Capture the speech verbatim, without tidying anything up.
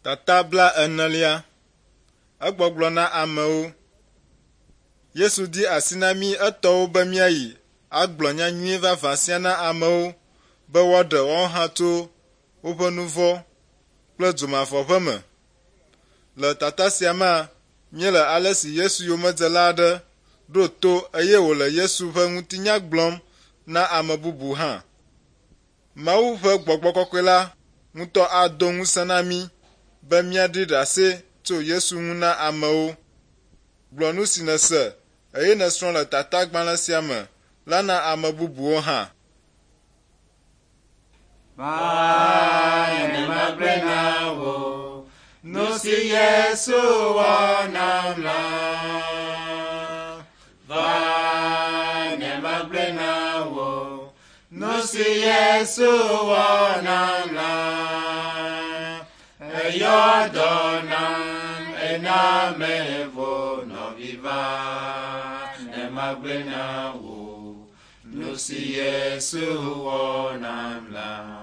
Tata bla enelia. Egbɔgblɔ na amewo. Yesu di asi na mí etɔwo be míayi agblɔ nyanyui vavã sia na amewo be woaɖe woawo hã tso woƒe nu vɔ̃ kple dzomavɔʋe me. Le tata sia mea, míele ale si Yesu yomedzela aɖe ɖo to eye wòle Yesu ƒe ŋutinya gblɔm na ame bubu hã. Mawu ƒe gbɔgbɔ kɔkɔe la ŋutɔ ado ŋusẽ na mí be míaɖi ɖase tso Yesu ŋu na amewo. Gblɔ nu si nèse eye nèsrɔ̃ le tatagbalẽ sia me la na ame bubuwo hã. Va ne magblɔe na wò, nu si Yesu wɔ nam la. Va ne magblɔe na wò, nu si Yesu wɔ nam la. Eyɔ dɔ nam, ena mevo nɔvi va ne magblɔe na wò, nu si Yesu wɔ nam la.